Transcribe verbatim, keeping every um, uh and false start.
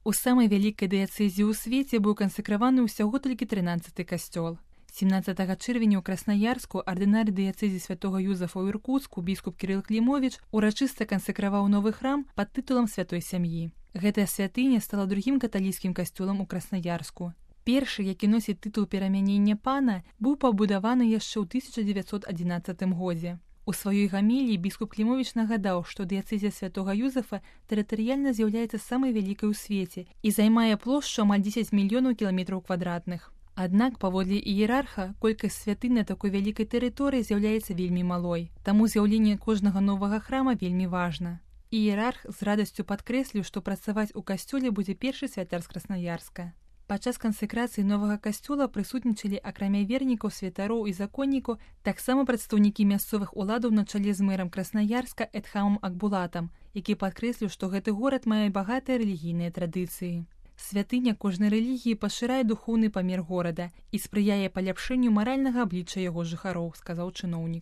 У самай вялікай дыяцэзе ў свеце быў кансакраваны ўсяго толькі трынаццаты касцёл. семнадцатага чэрвеня ў Краснаярску ардынар дыяцэзі святога Юзафа ў Іркуцку біскуп Кірыл Клімовіч урачыста кансакраваў новы храм пад тытулам святой сям'і. Гэтая святыня стала другім каталіцкім касцёлам у Краснаярску. Першы, які носіць тытул перамянення пана, быў пабудаваны яшчэ ў тысяча дзевяцьсот адзінаццатым годзе. У сваёй гаміліі біскуп Клімовіч нагадаў, што дыяцэзія святога Юзафа тэрытарыяльна з'яўляецца самай вялікай у свеце і займае плошчу амаль дзесяць мільёнаў кіламетраў квадратных. Аднак, паводле іерарха, колькасць святынь на такой вялікай тэрыторыі з'яўляецца вельмі малой. Таму з'яўленне кожнага новага храма вельмі важна. Іерарх з радасцю падкрэсліў, што працаваць у касцёле будзе першы святар з Краснаярска. Падчас кансакрацыі новага касцёла прысутнічалі, акрамя вернікаў, святароў і законнікаў, таксама прадстаўнікі мясцовых уладаў на чале з мэрам Краснаярска Эдхамом Акбулатам, які падкрэсліў, што гэты горад мае багатыя рэлігійныя традыцыі. Святыня кожнай рэлігіі пашырае духоўны памер горада і спрыяе паляпшэнню маральнага аблічча яго жыхароў, сказаў чыноўнік.